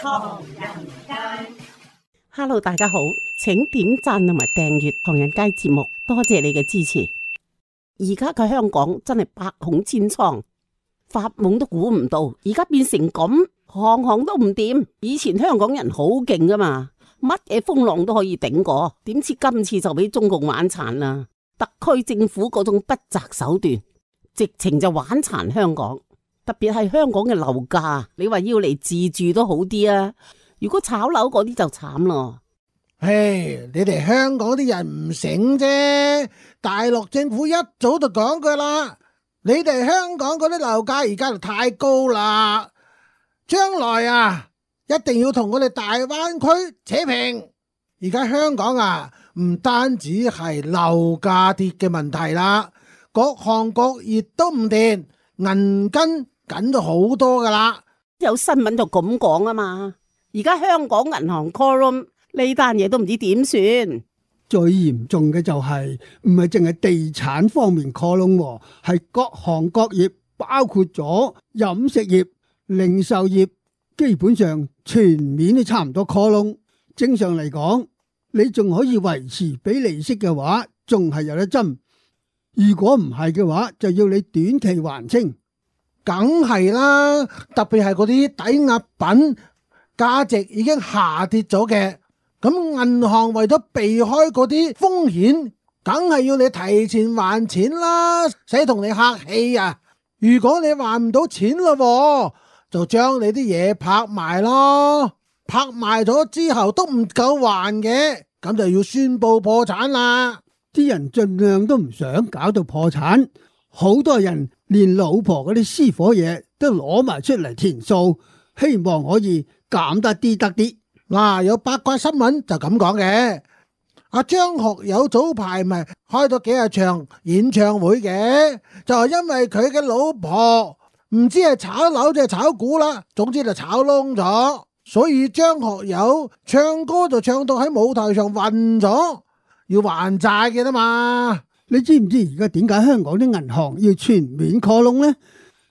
唐人街。Hello， 大家好，請點讚同埋訂閱唐人街節目，多謝你嘅支持。而家嘅香港真係百孔千瘡，發夢都估唔到，而家變成咁，行行都唔掂。以前香港人好勁噶嘛，乜嘢風浪都可以頂過，點知今次就俾中共玩殘啦！特區政府嗰種不擇手段，直情就玩殘香港。特別係香港嘅樓價，你話要嚟自住都好啲啊！如果炒樓嗰啲就慘咯。唉，你哋香港啲人唔醒啫，大陸政府一早就講過啦，你哋香港嗰啲樓價而家就太高啦，將來啊一定要同我哋大灣區扯平。而家香港啊唔單止係樓價跌嘅問題啦，各行各業都唔掂，銀根緊咗好多噶啦。有新聞就咁講啊嘛，而家香港銀行 call room 呢單嘢都唔知點算。最嚴重嘅就係唔係淨係地產方面 call room，係各行各業，包括咗飲食業、零售業，基本上全面都差唔多 call room。正常嚟講，你仲可以維持俾利息嘅話，仲係有得針。如果唔係嘅話，就要你短期還清。梗係啦，特別係嗰啲抵押品價值已經下跌咗嘅，咁銀行為咗避開嗰啲風險，梗係要你提前還錢啦，使同你客氣啊！如果你還唔到錢咯，就將你啲嘢拍賣咯，拍賣咗之後都唔夠還嘅，咁就要宣布破產啦。啲人盡量都唔想搞到破產，好多人連老婆嗰啲私伙嘢都攞埋出嚟填數，希望可以減得啲得啲。嗱，有八卦新聞就咁講嘅，阿張學友早排咪開咗幾日場演唱會嘅，就係因為佢嘅老婆唔知係炒樓定係炒股啦，總之就炒窿咗，所以張學友唱歌就唱到喺舞台上暈咗，要還債嘅啦嘛。你知唔知而家點解香港啲銀行要全面 call窿呢？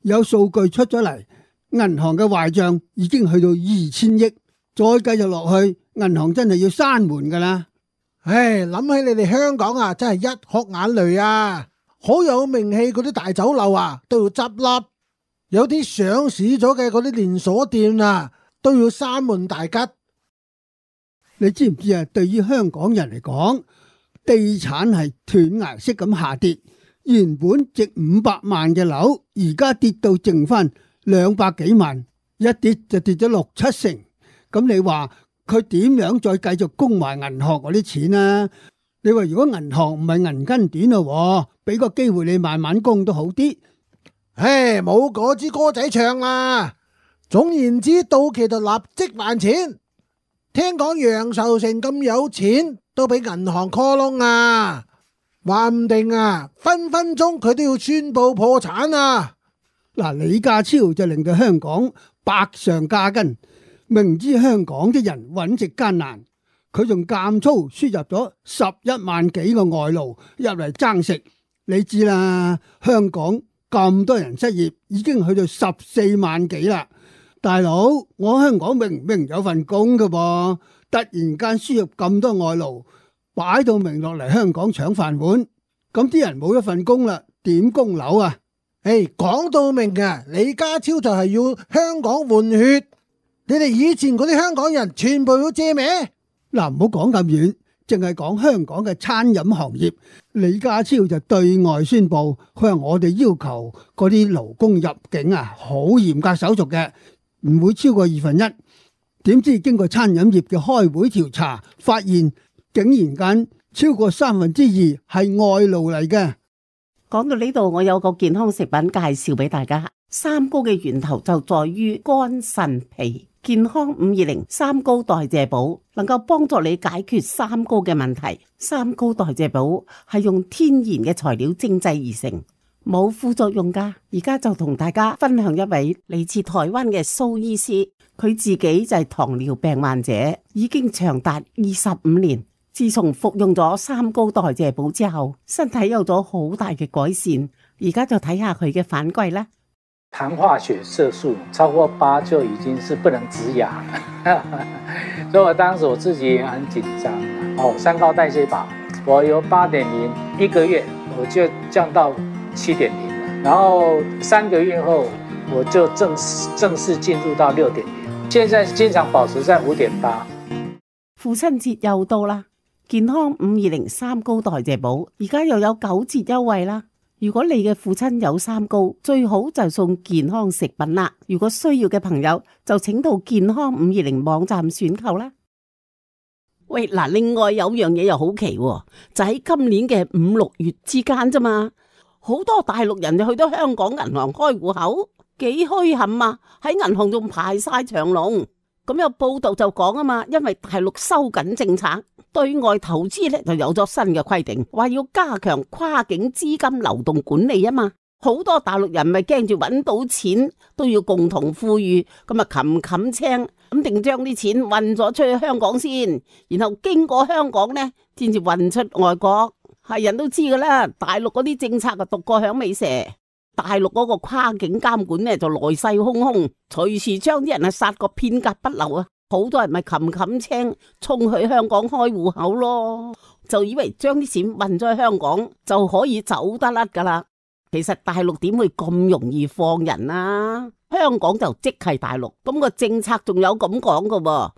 有數據出咗嚟，銀行嘅壞賬已經去到2000億，再繼續落去，銀行真係要閂門噶啦。唉，諗起你哋香港啊，真係一哭眼淚啊！好有名氣嗰啲大酒樓啊，都要執笠，有啲上市咗嘅嗰啲連鎖店啊，都要閂門大吉。你知唔知啊？對於香港人嚟講，地產係斷崖式咁下跌，原本值500萬嘅樓，而家跌到剩翻200幾萬，一跌就跌咗6-7成。咁你話佢點樣再繼續供埋銀行嗰啲錢啊？你話如果銀行唔係銀根短咯，俾個機會你慢慢供都好啲。唉，冇嗰支歌仔唱啦。總言之，到期就立即還錢。聽講楊受成咁有錢，都俾銀行 call 窿啊，話唔定啊，分分鐘佢都要宣布破產啊！嗱，李家超就令到香港百上加斤，明知香港啲人揾食艱難，佢仲監粗輸入咗11萬幾個外勞入嚟爭食。你知啦，香港咁多人失業，已經去到14萬幾啦。大佬，我香港明明有份工㗎噃，突然間輸入咁多外勞，擺到明落嚟香港搶飯碗，咁啲人冇一份工啦，點供樓啊？講到明啊，李家超就係要香港換血，你哋以前嗰啲香港人全部要借咩？嗱，唔好講咁遠，淨係講香港嘅餐飲行業，李家超就對外宣布，佢話我哋要求嗰啲勞工入境啊，好嚴格手續嘅，唔會超過1/2。點知經過餐飲業嘅開會調查，發現竟然間超過2/3係外勞嚟嘅。講到呢度，我有個健康食品介紹俾大家。三高嘅源頭就在於肝腎脾。健康520三高代謝寶能夠幫助你解決三高嘅問題。三高代謝寶係用天然嘅材料精製而成，冇副作用噶。而家就同大家分享一位嚟自台灣嘅蘇醫師，佢自己就係糖尿病患者，已經長達25年。自從服用咗三高代謝寶之後，身體有咗好大嘅改善。而家就睇下佢嘅反饋啦。含化学色素超过8就已经是不能植牙了，所以我当时我自己也很紧张。三高代谢法，我由8.0一个月我就降到7.0了，然后3个月后我就正式進入到6.0，現在經常保持在5.8。父親節又到啦，健康520三高代謝寶而家又有9折優惠啦。如果你嘅父親有三高，最好就送健康食品啦。如果需要嘅朋友，就請到健康520網站選購啦。喂，嗱，另外有樣嘢又好奇喎，就喺今年嘅5、6月之間啫嘛，好多大陸人就去到香港銀行開戶口，幾墟冚啊！喺銀行仲排晒長龍。咁有報道就講啊嘛，因為大陸收緊政策，對外投資咧就有咗新嘅規定，話要加強跨境資金流動管理啊嘛。好多大陸人咪驚住揾到錢都要共同富裕，咁啊冚青咁定將啲錢運咗出去香港先，然後經過香港呢先至運出外國。係人都知噶啦，大陸嗰啲政策就獨過響尾蛇。大陸嗰個跨境監管呢就來勢洶洶，隨時將啲人殺個片甲不留啊！好多人咪冚青衝去香港開戶口咯，就以為將啲錢運咗去香港就可以走得甩噶啦。其實大陸點會咁容易放人啊？香港就即係大陸，咁個政策仲有咁講噶喎。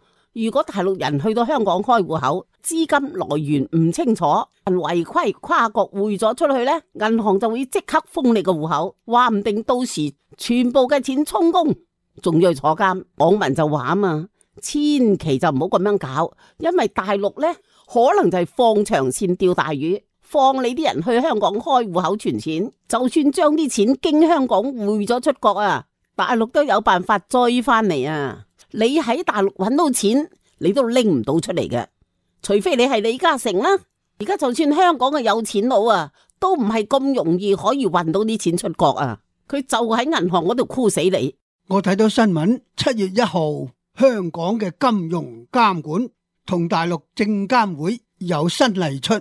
如果大陸人去到香港開戶口，資金來源唔清楚，違規跨國匯咗出去呢，銀行就會即刻封你個戶口，話唔定到時全部嘅錢充公，仲要去坐監。網民就話啊嘛，千祈就唔好咁樣搞，因為大陸呢可能就係放長線釣大魚，放你啲人去香港開戶口存錢，就算將啲錢經香港匯咗出國啊，大陸都有辦法追翻嚟啊！你喺大陸揾到錢，你都拎唔到出嚟嘅，除非你係李嘉誠啦。而家就算香港嘅有錢佬啊，都唔係咁容易可以運到啲錢出國啊。佢就喺銀行嗰度箍死你。我睇到新聞，7月1號，香港嘅金融監管同大陸證監會有新例出，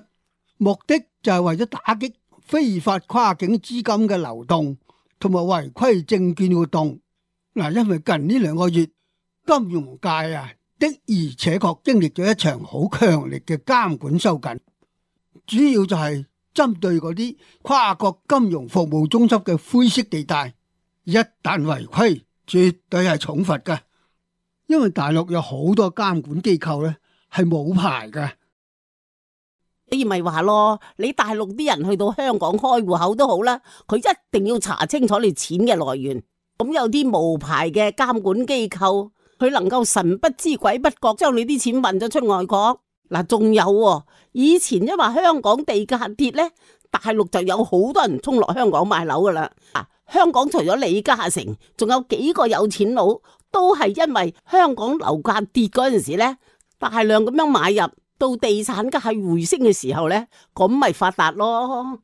目的就係為咗打擊非法跨境資金嘅流動同埋違規證券活動。嗱，因為近呢2個月，金融界啊的而且確經歷咗一場好強烈嘅監管收緊，主要就係針對嗰啲跨國金融服務中心嘅灰色地帶，一旦違規，絕對係重罰㗎。因為大陸有好多監管機構咧係冇牌㗎。你咪話咯，你大陸啲人去到香港開戶口都好啦，佢一定要查清楚你錢嘅來源。咁有啲無牌嘅監管機構，佢能夠神不知鬼不覺將你啲錢運咗出外國。嗱，仲有以前因為香港地價跌呢，大陸就有好多人衝落香港買樓噶啦。香港除咗李嘉誠，仲有幾個有錢佬都係因為香港樓價跌嗰陣時呢，大量咁樣買入，到地產價回升嘅時候呢，咁咪發達咯。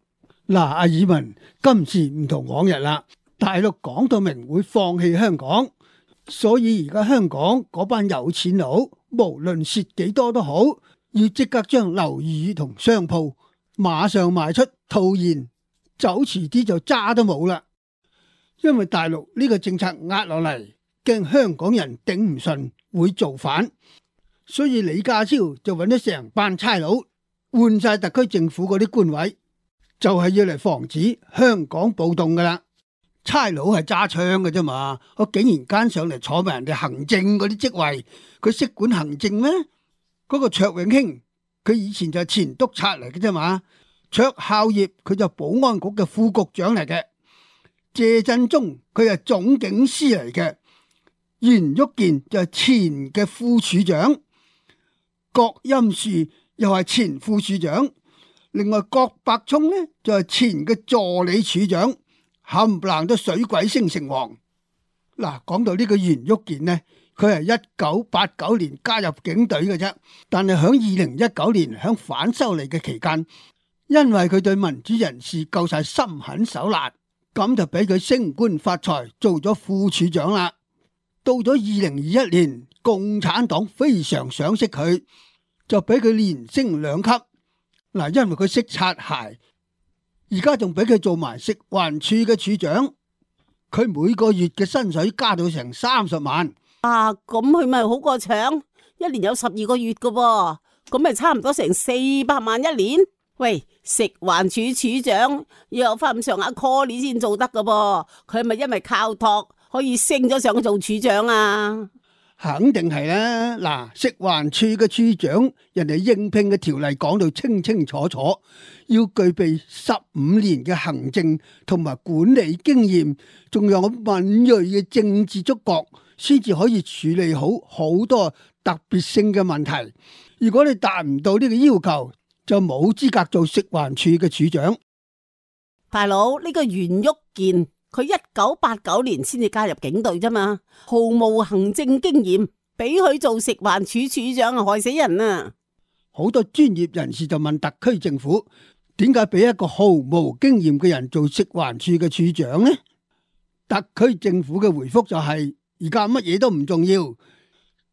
嗱，阿爾文，今次唔同往日啦，大陸講到明會放棄香港，所以而家香港嗰班有錢佬，無論蝕幾多都好，要即刻將樓宇同商鋪馬上賣出套現，走遲啲就渣都冇啦。因為大陸呢個政策壓落嚟，驚香港人頂唔順會造反，所以李家超就揾咗成班差佬換晒特區政府嗰啲官位，就係要嚟防止香港暴動噶啦。差佬係揸槍嘅啫嘛，我竟然間上嚟坐埋人哋行政嗰啲職位，佢識管行政咩？嗰個卓永興佢以前就係前督察嚟嘅啫嘛，卓孝業佢就保安局嘅副局長嚟嘅，謝振中佢係總警司嚟嘅，袁旭健就係前嘅副處長，郭欽樹又係前副處長，另外郭伯聰呢就係前嘅助理處長，冚唪唥都水鬼升城隍。嗱，講到呢個袁旭健呢，佢係1989年加入警隊嘅啫，但係響2019年響反修例嘅期間，因為佢對民主人士夠晒心狠手辣，咁就俾佢升官發財，做咗副處長啦。到咗2021年，共產黨非常賞識佢，就俾佢連升2級。嗱，因為佢識擦鞋，而家仲俾佢做埋食環署嘅處長。佢每個月嘅薪水加到成30萬。啊，咁佢咪好過搶，一年有12個月噶噃，咁咪差唔多成400萬一年。喂，食環署署長要有翻咁上下 call 先做得噶噃，佢係咪因為靠託可以升咗上去做署長啊？肯定係啦。嗱，食環署嘅署長，人哋應聘嘅條例講到清清楚楚，要具備15年嘅行政同埋管理經驗，仲有敏銳嘅政治觸覺，先至可以處理好好多特別性嘅問題。如果你達唔到呢個要求，就冇資格做食環署嘅署長。大佬，呢個袁旭健，佢1989年先至加入警隊啫嘛，毫無行政經驗，俾佢做食環署署長啊，害死人啊！好多專業人士就問特區政府，點解俾一個毫無經驗嘅人做食環署嘅署長呢？特區政府嘅回覆就係，而家乜嘢都唔重要，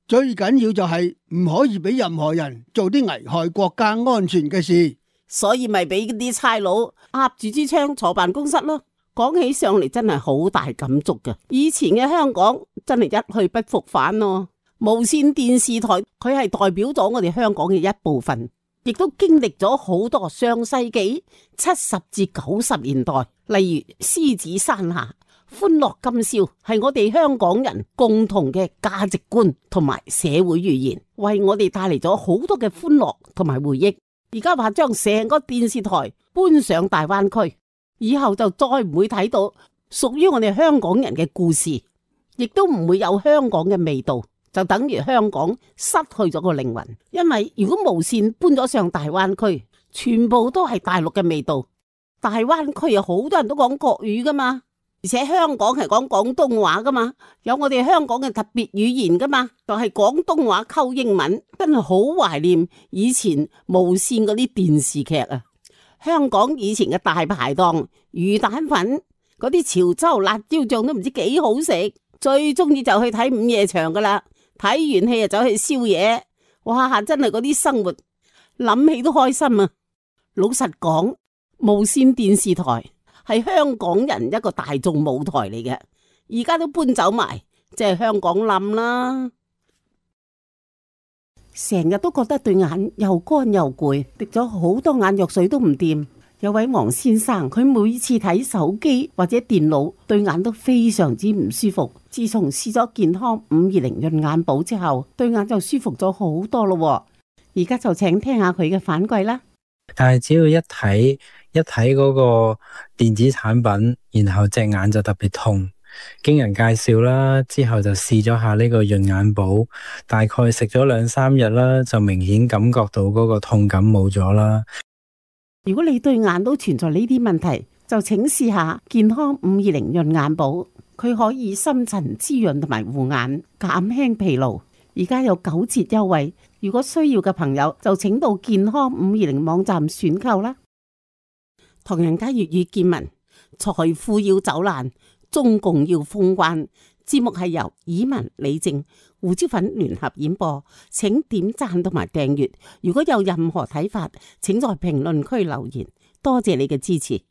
最緊要就係唔可以俾任何人做啲危害國家安全嘅事，所以咪俾啲差佬握住支槍坐辦公室咯。講起上嚟真係好大感觸㗎，以前嘅香港真係一去不復返咯。無綫電視台佢係代表咗我哋香港嘅一部分，亦都經歷咗好多上世紀70至90年代，例如獅子山下、歡樂今宵，係我哋香港人共同嘅價值觀同埋社會語言，為我哋帶嚟咗好多嘅歡樂同埋回憶。而家話將成個電視台搬上大灣區，以後就再唔會睇到屬於我哋香港人嘅故事，亦都唔會有香港嘅味道，就等於香港失去咗個靈魂。因為如果無綫搬咗上大灣區，全部都係大陸嘅味道。大灣區有好多人都講國語噶嘛，而且香港係講廣東話噶嘛，有我哋香港嘅特別語言噶嘛，就係廣東話溝英文。真係好懷念以前無綫嗰啲電視劇啊！香港以前嘅大排檔魚蛋粉嗰啲潮州辣椒醬都唔知幾好食，最中意就去睇午夜場噶啦。睇完戲就走去宵夜，哇！真係嗰啲生活諗起都開心啊！老實講，無綫電視台係香港人一個大眾舞台嚟嘅，而家都搬走埋，即係香港冧啦。成日都覺得對眼又乾又攰，滴咗好多眼藥水都唔掂。有位黃先生，佢每次睇手機或者電腦，對眼都非常之唔舒服。自從試咗健康520潤眼寶之後，對眼就舒服咗好多咯。而家就請聽下佢嘅反饋啦。但係只要一睇嗰個電子產品，然後隻眼就特別痛。經人介紹啦，之後就試咗下呢個潤眼寶，大概食咗2-3日啦，就明顯感覺到嗰個痛感冇咗啦。如果你對眼都存在呢啲問題，就請試下健康520潤眼寶，佢可以深層滋潤同埋護眼，減輕疲勞。而家有9折優惠，如果需要嘅朋友就請到健康520網站選購啦。唐人街粵語見聞，財富要走難，中共要封關。節目係由以文、李靜、胡椒粉聯合演播，請點讚同埋訂閱。如果有任何睇法，請在評論區留言。多謝你嘅支持。